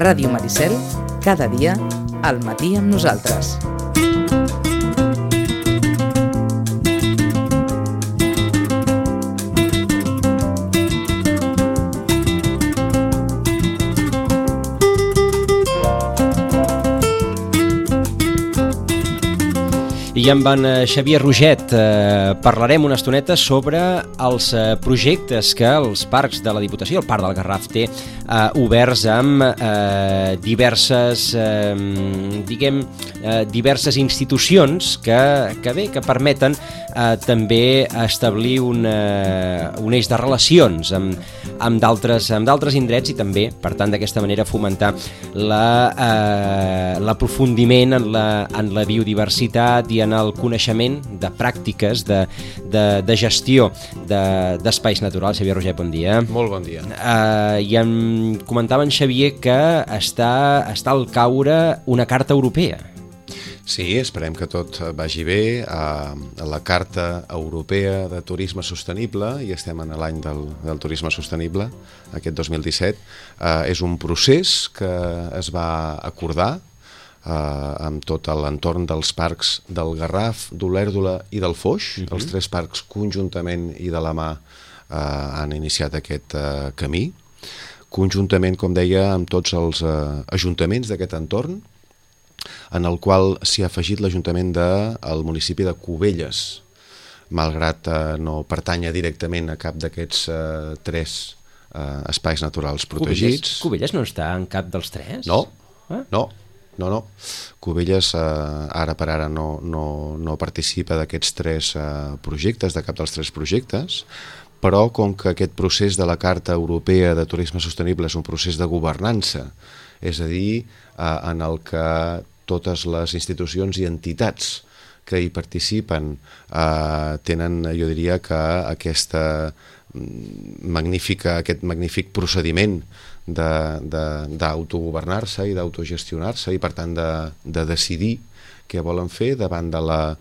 Ràdio Maricel, cada dia, al matí amb nosaltres. I amb en Xavier Roget parlarem una estoneta sobre els projectes que els parcs de la Diputació, el Parc del Garraf, té oberts amb diverses institucions que permeten també establir un eix de relacions amb d'altres indrets i també, per tant, d'aquesta manera fomentar l'aprofundiment en la biodiversitat i en el coneixement de pràctiques de gestió d'espais naturals. Xavier Roget, bon dia. Molt bon dia. I em comentava en Xavier que està al caure una carta europea. Sí, esperem que tot vagi bé. La Carta Europea de Turisme Sostenible, i estem en l'any del turisme sostenible, aquest 2017, és un procés que es va acordar amb tot l'entorn dels parcs del Garraf, d'Olèrdola i del Foix. Els tres parcs conjuntament i de la mà han iniciat aquest camí, conjuntament, com deia, amb tots els ajuntaments d'aquest entorn, en el qual s'hi ha afegit l'Ajuntament del municipi de Cubelles, malgrat no pertanya directament a cap d'aquests tres espais naturals protegits. Cubelles no està en cap dels tres? No. Cubelles ara per ara no participa d'aquests tres projectes, de cap dels tres projectes, però com que aquest procés de la Carta Europea de Turisme Sostenible és un procés de governança, és a dir, en el que totes les institucions i entitats que hi participen tenen, jo diria, que aquest magnífic procediment d'autogovernar-se i d'autogestionar-se i, per tant, de decidir què volen fer davant de la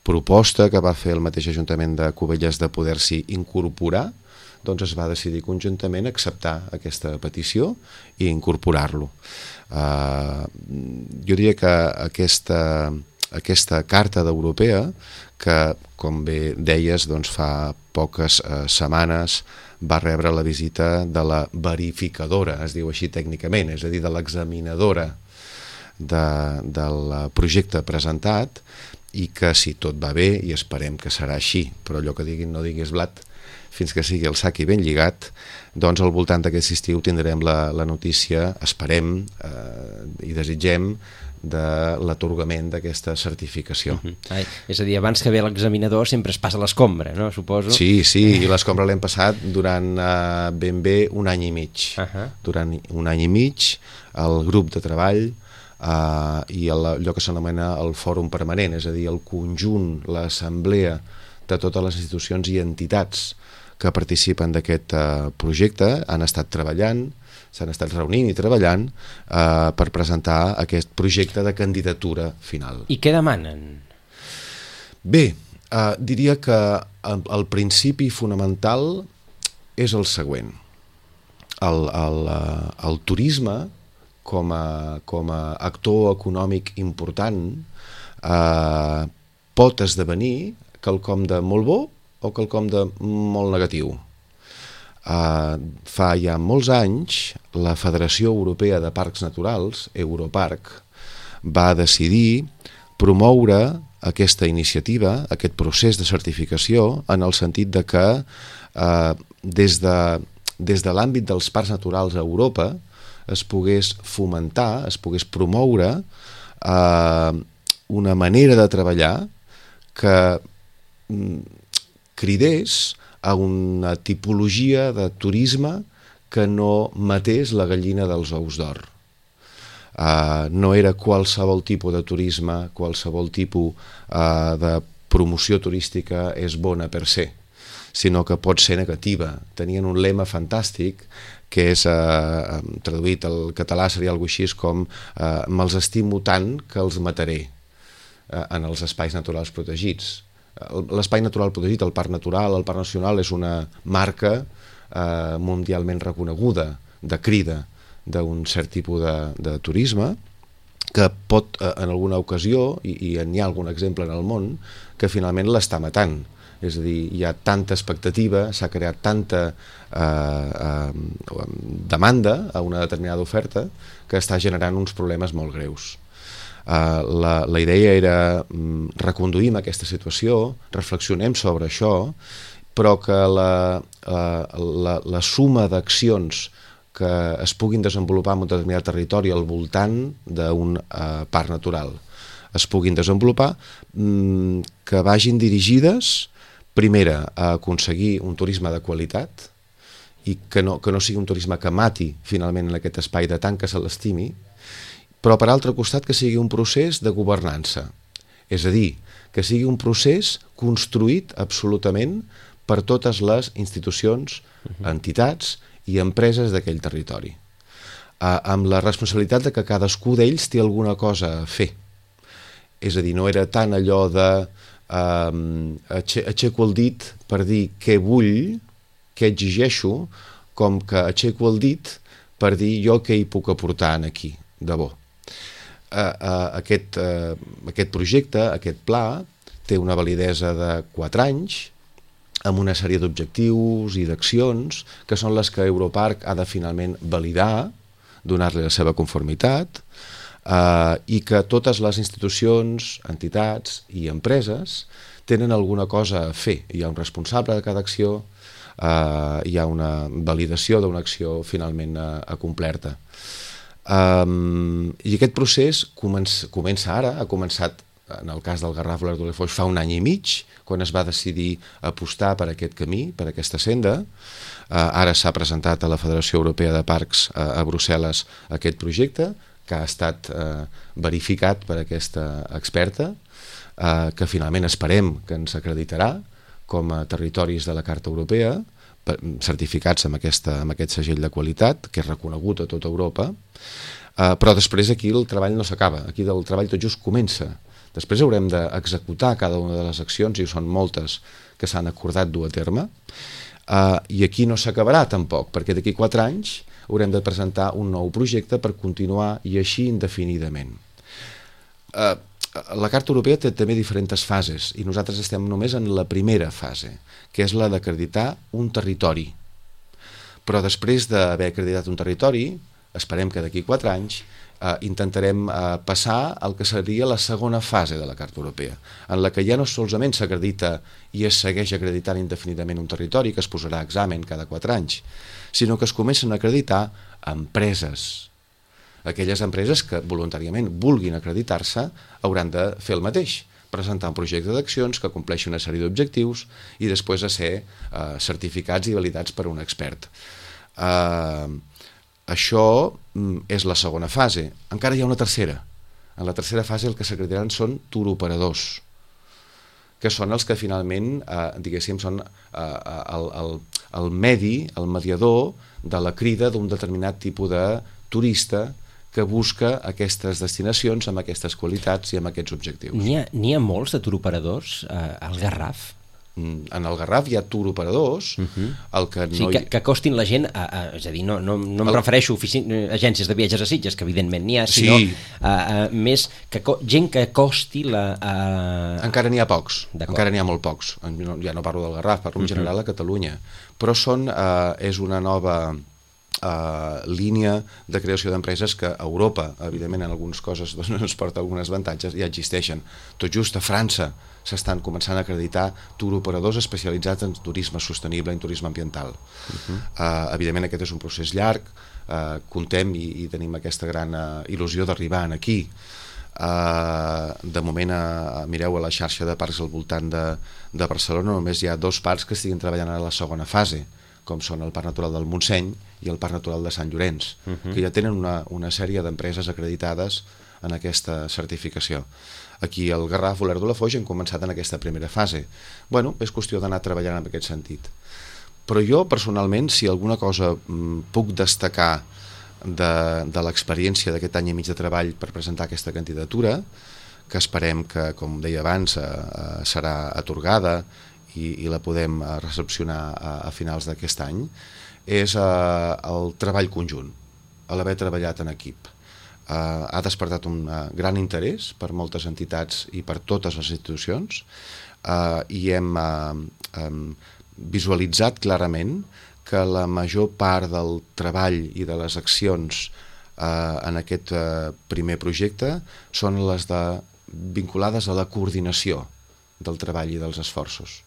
proposta que va fer el mateix Ajuntament de Cubelles de poder-s'hi incorporar. Doncs es va decidir conjuntament acceptar aquesta petició i incorporar-lo. Jo diria que aquesta Carta europea, que, com bé deies, doncs fa poques setmanes va rebre la visita de la verificadora, es diu així tècnicament, és a dir, de l'examinadora del projecte presentat, i que, si tot va bé, i esperem que serà així, però allò que diguin no diguis blat, fins que sigui el sac i ben lligat, doncs al voltant d'aquest estiu tindrem la notícia, esperem i desitgem, de l'atorgament d'aquesta certificació. És a dir, abans que ve l'examinador sempre es passa l'escombra, no? Suposo. Sí, i l'escombra l'hem passat durant ben bé un any i mig. Durant un any i mig, el grup de treball i allò que s'anomena el fòrum permanent, és a dir, el conjunt, l'assemblea de totes les institucions i entitats que participen d'aquest projecte han estat treballant, s'han estat reunint i treballant per presentar aquest projecte de candidatura final. I què demanen? Bé, diria que el principi fonamental és el següent. El turisme, com a actor econòmic important, pot esdevenir quelcom de molt bo o quelcom de molt negatiu. Fa ja molts anys, la Federació Europea de Parcs Naturals, Europarc, va decidir promoure aquesta iniciativa, aquest procés de certificació, en el sentit de que des de l'àmbit dels parcs naturals a Europa es pogués fomentar, es pogués promoure una manera de treballar que cridés a una tipologia de turisme que no matés la gallina dels ous d'or. No era qualsevol tipus de turisme, qualsevol tipus de promoció turística és bona per se, sinó que pot ser negativa. Tenien un lema fantàstic que és, traduït al català seria alguna cosa així com me'ls estimo tant que els mataré en els espais naturals protegits. L'espai natural protegit, el Parc Natural, el Parc Nacional, és una marca mundialment reconeguda de crida d'un cert tipus de turisme, que pot, en alguna ocasió, i n'hi ha algun exemple en el món, que finalment l'està matant. És a dir, hi ha tanta expectativa, s'ha creat tanta demanda a una determinada oferta que està generant uns problemes molt greus. La idea era reconduïm aquesta situació, reflexionem sobre això, però que la suma d'accions que es puguin desenvolupar en un determinat territori al voltant d'un parc natural es puguin desenvolupar, que vagin dirigides, primera, a aconseguir un turisme de qualitat i que no sigui un turisme que mati finalment en aquest espai de tant que se l'estimi, però per altre costat que sigui un procés de governança, és a dir, que sigui un procés construït absolutament per totes les institucions, entitats i empreses d'aquell territori, amb la responsabilitat de que cadascú d'ells té alguna cosa a fer. És a dir, no era tant allò de aixeco el dit per dir què vull, què exigeixo, com que aixeco el dit per dir jo què hi puc aportar aquí, de bo. Aquest projecte, aquest pla, té una validesa de 4 anys, amb una sèrie d'objectius i d'accions que són les que Europarc ha de finalment validar, donar-li la seva conformitat, i que totes les institucions, entitats i empreses tenen alguna cosa a fer. Hi ha un responsable de cada acció, hi ha una validació d'una acció finalment complerta. I aquest procés comença ara, ha començat en el cas del Garraf Olèrdola de Foix fa 1 any i mig, quan es va decidir apostar per aquest camí, per aquesta senda. Ara s'ha presentat a la Federació Europea de Parcs a Brussel·les aquest projecte, que ha estat verificat per aquesta experta, que finalment esperem que ens acreditarà com a territoris de la Carta Europea, certificats amb aquest segell de qualitat, que és reconegut a tota Europa, però després aquí el treball no s'acaba, aquí el treball tot just comença. Després haurem d'executar cada una de les accions, i són moltes que s'han acordat dur a terme, i aquí no s'acabarà tampoc, perquè d'aquí 4 anys haurem de presentar un nou projecte per continuar i així indefinidament. La Carta Europea té també diferents fases i nosaltres estem només en la primera fase, que és la d'acreditar un territori. Però després d'haver acreditat un territori, esperem que d'aquí 4 anys intentarem passar al que seria la segona fase de la Carta Europea, en la que ja no solament s'acredita i es segueix acreditant indefinidament un territori que es posarà a examen cada 4 anys, sinó que es comencen a acreditar empreses. Aquelles empreses que voluntàriament vulguin acreditar-se hauran de fer el mateix, presentar un projecte d'accions que compleixi una sèrie d'objectius i després a ser certificats i validats per un expert. Això és la segona fase. Encara hi ha una tercera. En la tercera fase el que s'acreditaran són turoperadors, que són els que finalment, diguéssim, són el medi, el mediador de la crida d'un determinat tipus de turista que busca aquestes destinacions amb aquestes qualitats i amb aquests objectius. N'hi ha molts de turoperadors al Garraf? En el Garraf hi ha turoperadors, el que no... Sí, que costin la gent, és a dir, no em refereixo a agències de viatges a Sitges, que evidentment n'hi ha, sinó més gent que costi la... Encara n'hi ha pocs, encara n'hi ha molt pocs. Ja no parlo del Garraf, parlo en general a Catalunya. Però és una nova línia de creació d'empreses que a Europa, evidentment en algunes coses ens porta alguns avantatges, ja existeixen. Tot just a França s'estan començant a acreditar turoperadors especialitzats en turisme sostenible, en turisme ambiental. Evidentment aquest és un procés llarg, contem i tenim aquesta gran il·lusió d'arribar aquí. De moment, mireu, a la xarxa de parcs al voltant de Barcelona només hi ha 2 parcs que estiguin treballant a la segona fase, com són el Parc Natural del Montseny i el Parc Natural de Sant Llorenç, que ja tenen una sèrie d'empreses acreditades en aquesta certificació. Aquí al Garraf Olèrdola de Foix hem començat en aquesta primera fase. Bueno, és qüestió d'anar treballant en aquest sentit. Però jo, personalment, si alguna cosa puc destacar de l'experiència d'aquest any i mig de treball per presentar aquesta candidatura, que esperem que, com deia abans, serà atorgada i la podem recepcionar a finals d'aquest any, és el treball conjunt. a l'haver treballat en equip. Ha despertat un gran interès per moltes entitats i per totes les institucions, i hem visualitzat clarament que la major part del treball i de les accions en aquest primer projecte són les vinculades a la coordinació del treball i dels esforços.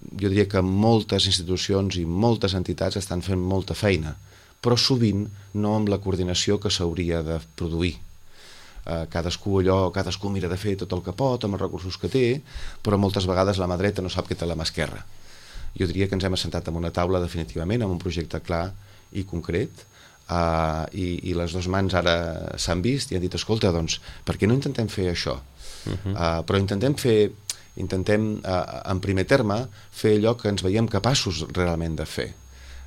Jo diria que moltes institucions i moltes entitats estan fent molta feina, però sovint no amb la coordinació que s'hauria de produir. Cadascú mira de fer tot el que pot amb els recursos que té, però moltes vegades la mà dreta no sap què té la mà esquerra. Jo diria que ens hem assentat en una taula definitivament, amb un projecte clar i concret, i les dues mans ara s'han vist i han dit, escolta, doncs, per què no intentem fer això? Però intentem en primer terme fer allò que ens veiem capaços realment de fer.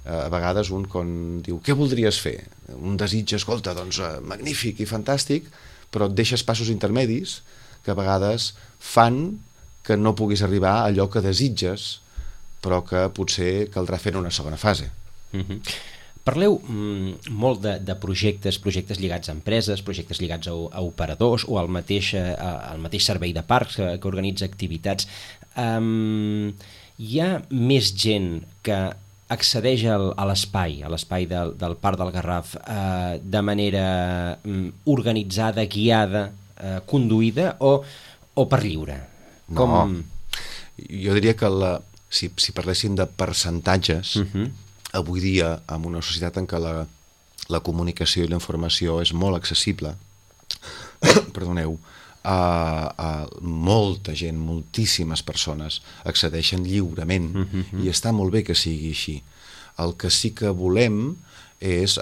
A vegades un quan diu, què voldries fer? Un desig, escolta, doncs magnífic i fantàstic, però et deixes passos intermedis que a vegades fan que no puguis arribar a allò que desitges, però que potser caldrà fer en una segona fase. Parleu molt de projectes lligats a empreses, projectes lligats a operadors o al mateix servei de parcs que organitza activitats. Hi ha més gent que accedeix a l'espai del Parc del Garraf de manera organitzada, guiada, conduïda o per lliure? No, jo diria que si parléssim de percentatges, avui dia, en una societat en què la comunicació i la informació és molt accessible, molta gent, moltíssimes persones accedeixen lliurement, i està molt bé que sigui així. El que sí que volem és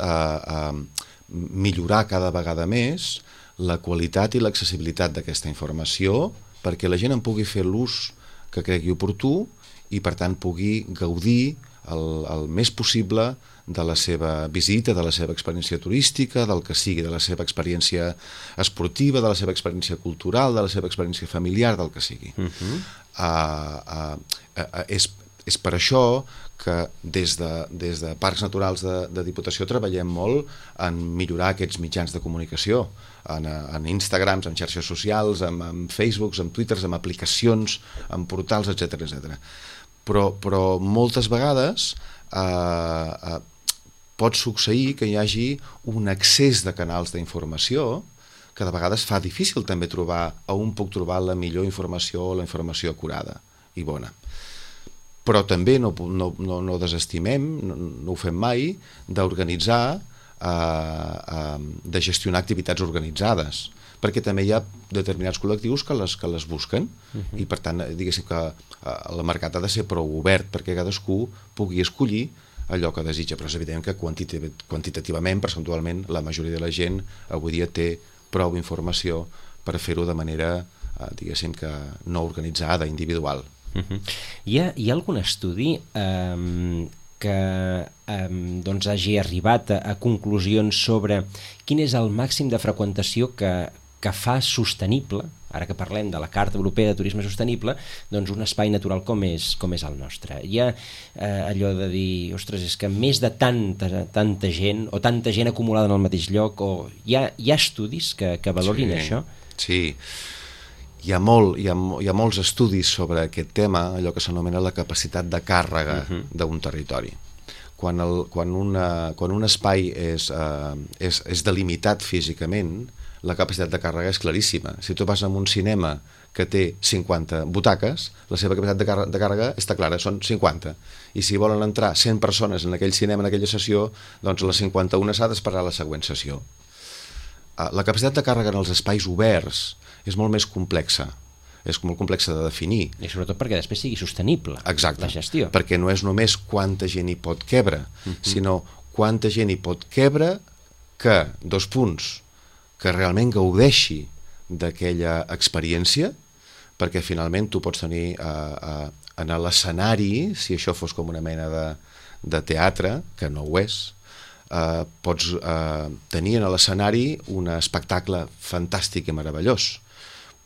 millorar cada vegada més la qualitat i l'accessibilitat d'aquesta informació perquè la gent en pugui fer l'ús que cregui oportú i per tant pugui gaudir el més possible de la seva visita, de la seva experiència turística, del que sigui, de la seva experiència esportiva, de la seva experiència cultural, de la seva experiència familiar, del que sigui. És per això que des de Parcs Naturals de Diputació treballem molt en millorar aquests mitjans de comunicació, en Instagrams, en xarxes socials, en Facebooks, en Twitters, en aplicacions, en portals, etc. Però moltes vegades pot succeir que hi hagi un excés de canals d'informació que de vegades fa difícil també trobar on puc trobar la millor informació o la informació acurada i bona. Però també no desestimem, no ho fem mai, d'organitzar, de gestionar activitats organitzades, perquè també hi ha determinats col·lectius que les busquen i per tant diguéssim que el mercat ha de ser prou obert perquè cadascú pugui escollir allò que desitja, però és evident que quantitativament, percentualment, la majoria de la gent avui dia té prou informació per fer-ho de manera, diguéssim que no organitzada, individual. Hi ha algun estudi que hagi arribat a conclusions sobre quin és el màxim de freqüentació que fa sostenible, ara que parlem de la Carta Europea de Turisme Sostenible, doncs un espai natural com és el nostre? Hi ha allò de dir, ostres, és que més de tanta gent, o tanta gent acumulada en el mateix lloc, o hi ha estudis que valorin això? Sí, hi ha molts estudis sobre aquest tema, allò que s'anomena la capacitat de càrrega d'un territori. Quan un espai és delimitat físicament, la capacitat de càrrega és claríssima. Si tu vas a un cinema que té 50 butaques, la seva capacitat de càrrega està clara, són 50. I si volen entrar 100 persones en aquell cinema, en aquella sessió, doncs les 51 s'ha d'esperar a la següent sessió. La capacitat de càrrega en els espais oberts és molt més complexa. És molt complexa de definir. I sobretot perquè després sigui sostenible. Exacte, la gestió. Perquè no és només quanta gent hi pot quebre, sinó quanta gent hi pot quebre que, que realment gaudeixi d'aquella experiència, perquè finalment tu pots tenir en l'escenari, si això fos com una mena de teatre, que no ho és, pots tenir en l'escenari un espectacle fantàstic i meravellós,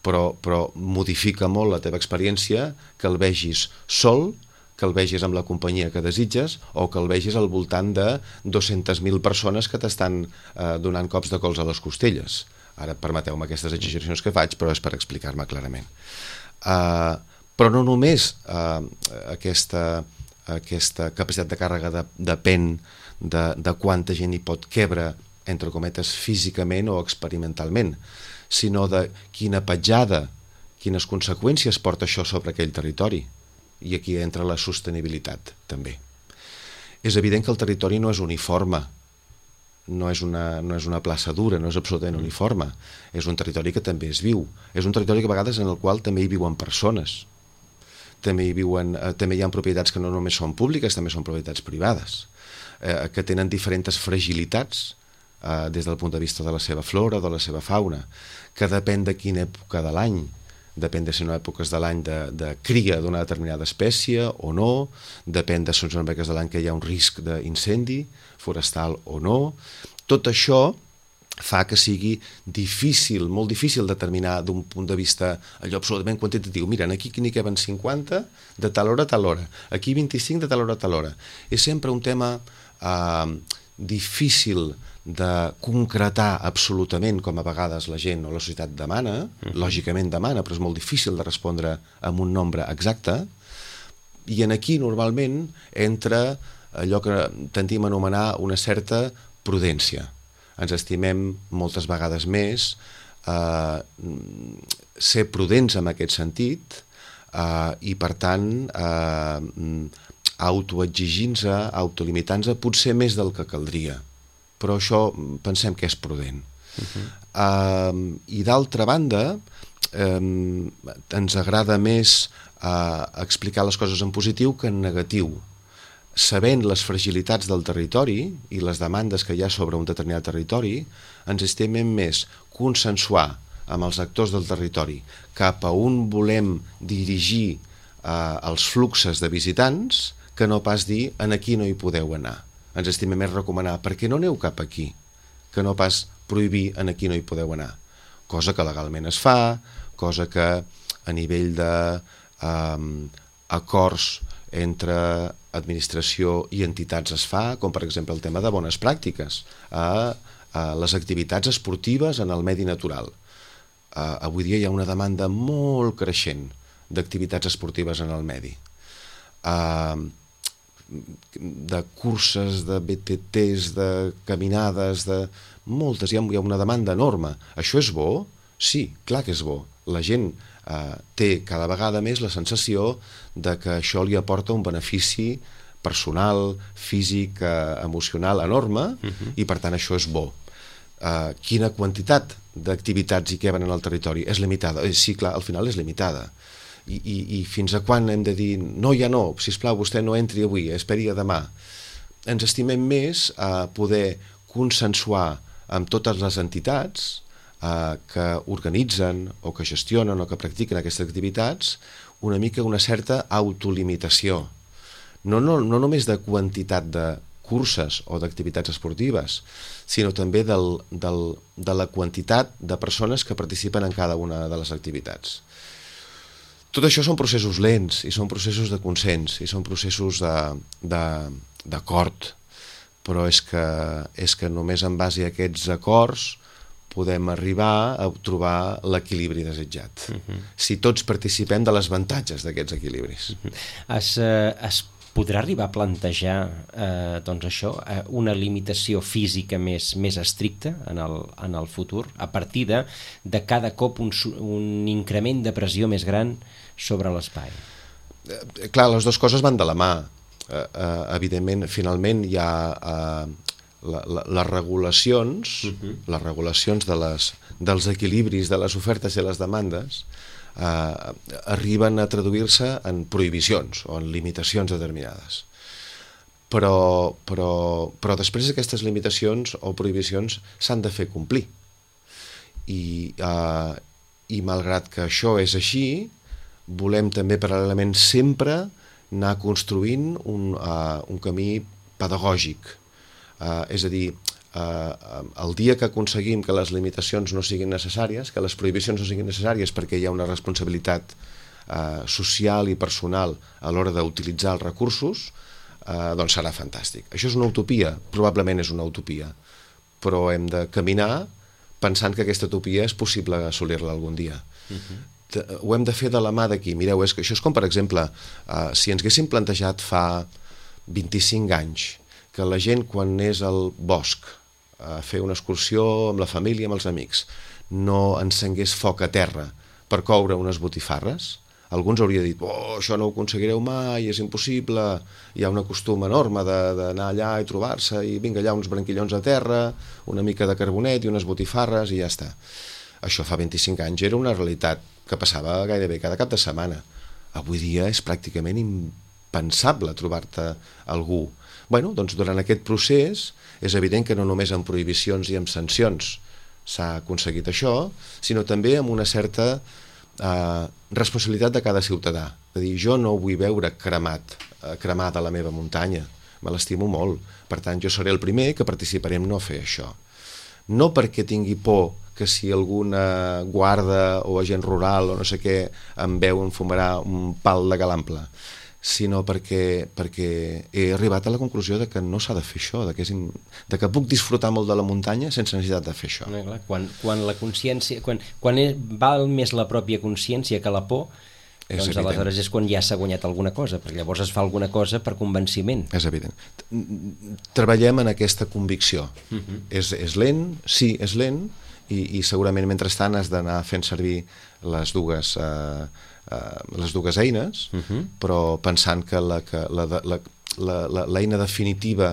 però modifica molt la teva experiència que el vegis sol, que el vegis amb la companyia que desitges o que el vegis al voltant de 200.000 persones que t'estan donant cops de cols a les costelles. Ara permeteu-me aquestes exageracions que faig, però és per explicar-me clarament. Però no només aquesta capacitat de càrrega depèn de quanta gent hi pot quebre, entre cometes, físicament o experimentalment, sinó de quina petjada, quines conseqüències porta això sobre aquell territori. I aquí entra la sostenibilitat, també. És evident que el territori no és uniforme, no és una plaça dura, no és absolutament uniforme. És un territori que també es viu. És un territori que a vegades en el qual també hi viuen persones. També hi ha propietats que no només són públiques, també són propietats privades, que tenen diferents fragilitats des del punt de vista de la seva flora, de la seva fauna, que depèn de quina època de l'any, depèn de si són èpoques de l'any de cria d'una determinada espècie o no, depèn de si són èpoques de l'any que hi ha un risc d'incendi forestal o no. Tot això fa que sigui difícil, molt difícil determinar d'un punt de vista allò absolutament quantitatiu. Mira, aquí n'hi queben 50 de tal hora a tal hora, aquí 25 de tal hora a tal hora. És sempre un tema difícil de concretar absolutament, com a vegades la gent o la societat demana, lògicament demana, però és molt difícil de respondre amb un nombre exacte, i aquí normalment entra allò que tendim a anomenar una certa prudència. Ens estimem moltes vegades més ser prudents en aquest sentit i, per tant, autoexigint-se, autolimitant-se, potser més del que caldria. Però això pensem que és prudent. I d'altra banda, ens agrada més explicar les coses en positiu que en negatiu. Sabent les fragilitats del territori i les demandes que hi ha sobre un determinat territori, ens estimem més consensuar amb els actors del territori cap a on volem dirigir els fluxes de visitants que no pas dir en aquí no hi podeu anar. Ens estimem més recomanar per què no aneu cap aquí, que no pas prohibir en aquí no hi podeu anar. Cosa que legalment es fa, cosa que a nivell d'acords entre administració i entitats es fa, com per exemple el tema de bones pràctiques, a les activitats esportives en el medi natural. Avui dia hi ha una demanda molt creixent d'activitats esportives en el medi. De curses, de BTTs, de caminades, de moltes, hi ha una demanda enorme. Això és bo? Sí, clar que és bo. La gent té cada vegada més la sensació de que això li aporta un benefici personal, físic, emocional enorme, i per tant això és bo. Quina quantitat d'activitats hi queben en el territori? És limitada. Sí, clar, al final és limitada. I fins a quan hem de dir no, ja no, sisplau, vostè no entri avui, esperi a demà. Ens estimem més a poder consensuar amb totes les entitats que organitzen o que gestionen o que practiquen aquestes activitats una mica una certa autolimitació. No només de quantitat de curses o d'activitats esportives, sinó també de la quantitat de persones que participen en cada una de les activitats. Tot això són processos lents i són processos de consens i són processos d'acord, però és que només en base a aquests acords podem arribar a trobar l'equilibri desitjat. Si tots participem de les avantatges d'aquests equilibris. Es podrà arribar a plantejar una limitació física més estricta en el futur, a partir de cada cop un increment de pressió més gran sobre l'espai? Clar, les dues coses van de la mà. Evidentment, finalment hi ha les regulacions, les regulacions dels equilibris de les ofertes i les demandes arriben a traduir-se en prohibicions o en limitacions determinades. Però després aquestes limitacions o prohibicions s'han de fer complir. I malgrat que això és així, volem també paral·lelament sempre anar construint un camí pedagògic. És a dir, el dia que aconseguim que les limitacions no siguin necessàries, que les prohibicions no siguin necessàries perquè hi ha una responsabilitat social i personal a l'hora d'utilitzar els recursos, doncs serà fantàstic. Això és una utopia? Probablement és una utopia, però hem de caminar pensant que aquesta utopia és possible assolir-la algun dia. Ho hem de fer de la mà d'aquí. Mireu, això és com, per exemple, si ens haguéssim plantejat fa 25 anys que la gent, quan és al bosc a fer una excursió amb la família, amb els amics, no encengués foc a terra per coure unes botifarres, alguns hauria dit, això no ho aconseguireu mai, és impossible, hi ha un costum enorme d'anar allà i trobar-se, i vinga allà uns branquillons a terra, una mica de carbonet i unes botifarres i ja està. Això fa 25 anys era una realitat que passava gairebé cada cap de setmana. Avui dia és pràcticament impensable trobar-te algú. Bueno, doncs durant aquest procés és evident que no només amb prohibicions i amb sancions s'ha aconseguit això, sinó també amb una certa responsabilitat de cada ciutadà. És a dir, jo no vull veure cremada la meva muntanya, me l'estimo molt, per tant jo seré el primer que participaré en no fer això. No perquè tingui por que si alguna guarda o agent rural o no sé què em veu em fumarà un pal de galample, sinó perquè he arribat a la conclusió de que no s'ha de fer això, de que puc disfrutar molt de la muntanya sense necessitat de fer això. Quan la consciència, quan val més la pròpia consciència que la por, doncs aleshores és quan ja s'ha guanyat alguna cosa, perquè llavors es fa alguna cosa per convenciment. És evident. Treballem en aquesta convicció. És lent, sí, és lent, i segurament mentrestant has d'anar fent servir les dues eines, però pensant que l'eina definitiva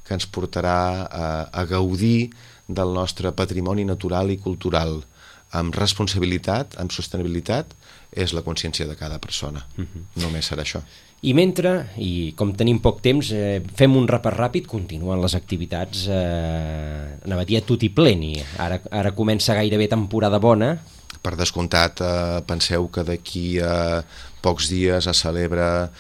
que ens portarà a gaudir del nostre patrimoni natural i cultural amb responsabilitat, amb sostenibilitat, és la consciència de cada persona. Només serà això. I mentre, i com tenim poc temps, fem un repàs ràpid, continuen les activitats, anava a dir a tutti pleni. Ara comença gairebé temporada bona. Per descomptat, penseu que d'aquí a pocs dies es celebra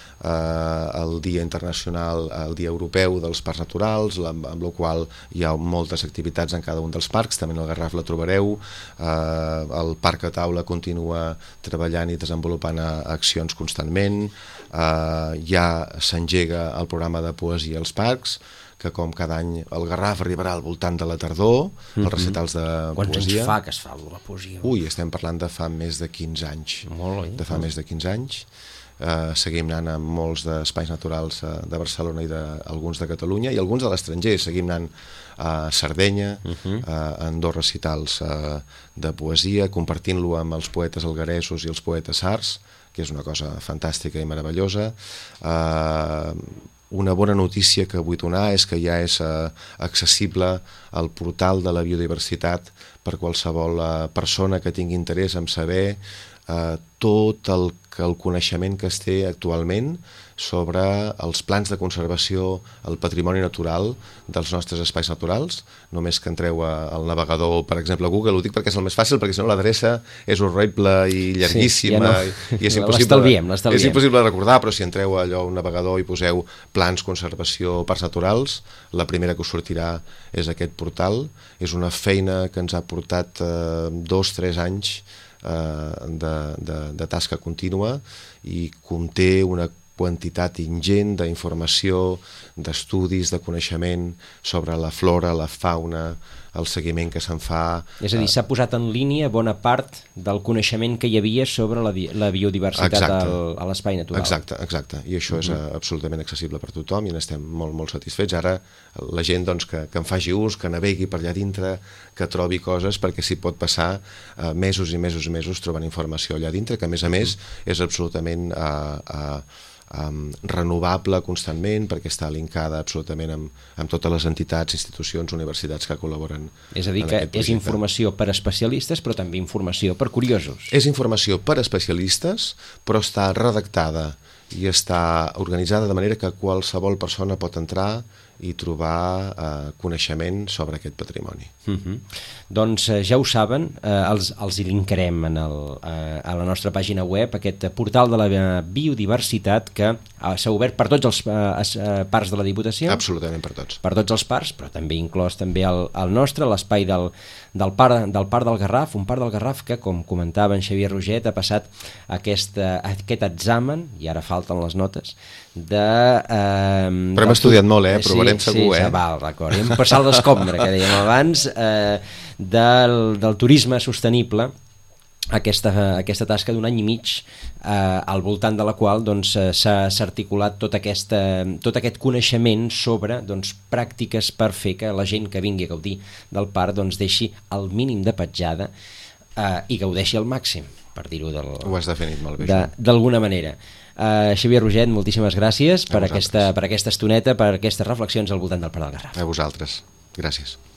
el Dia Internacional, el Dia Europeu dels Parcs Naturals, amb la qual hi ha moltes activitats en cada un dels parcs, també en el Garraf la trobareu, el Parc a Taula continua treballant i desenvolupant accions constantment, ja s'engega el programa de poesia als parcs, que com cada any el Garraf arribarà al voltant de la tardor, els recitals de poesia. Quants anys fa que es fa la poesia? Ui, estem parlant de fa més de 15 anys. De fa més de 15 anys. Seguim anant a molts d'espais naturals de Barcelona i alguns de Catalunya, i alguns de l'estranger. Seguim anant a Sardenya, en 2 recitals de poesia, compartint-lo amb els poetes algueresos i els poetes sards, que és una cosa fantàstica i meravellosa. Una bona notícia que vull donar és que ja és accessible el portal de la biodiversitat per qualsevol persona que tingui interès en saber tot el coneixement que es té actualment sobre els plans de conservació, el patrimoni natural dels nostres espais naturals. Només que entreu al navegador, per exemple, a Google, ho dic perquè és el més fàcil, perquè si no l'adreça és horrible i llarguíssima, i és impossible de recordar, però si entreu a allò, un navegador, i poseu plans, conservació, parcs naturals, la primera que us sortirà és aquest portal. És una feina que ens ha portat 2-3 anys de tasca contínua i conté una quantitat ingent d'informació, d'estudis, de coneixement sobre la flora, la fauna, el seguiment que se'n fa. És a dir, s'ha posat en línia bona part del coneixement que hi havia sobre la biodiversitat a l'espai natural. Exacte. I això és absolutament accessible per tothom i n'estem molt, molt satisfets. Ara la gent doncs, que en faci ús, que navegui per allà dintre, que trobi coses, perquè s'hi pot passar mesos i mesos i mesos trobant informació allà dintre, que a més és absolutament renovable constantment, perquè està linkada absolutament amb totes les entitats, institucions, universitats que col·laboren. És a dir, que és informació per especialistes, però també informació per curiosos. És informació per especialistes, però està redactada i està organitzada de manera que qualsevol persona pot entrar i trobar coneixement sobre aquest patrimoni. Doncs ja ho saben, els hi linkarem a la nostra pàgina web, aquest portal de la biodiversitat que s'ha obert per tots els parcs de la Diputació. Absolutament per tots. Per tots els parcs, però també inclòs també el nostre, l'espai del parc del Garraf, un parc del Garraf que, com comentava en Xavier Roget, ha passat aquest examen, i ara falten les notes, però hem estudiat molt, provarem segur. Sí, val, d'acord. Hem passat l'escombra, que dèiem abans, del turisme sostenible, aquesta tasca d'un any i mig al voltant de la qual s'ha articulat tot aquest coneixement sobre pràctiques per fer que la gent que vingui a gaudir del parc deixi el mínim de petjada i gaudeixi al màxim, per dir-ho ho has definit molt bé, d'alguna manera. Xavier Roget, moltíssimes gràcies per aquesta estoneta, per aquestes reflexions al voltant del Parc del Garraf. A vosaltres, gràcies.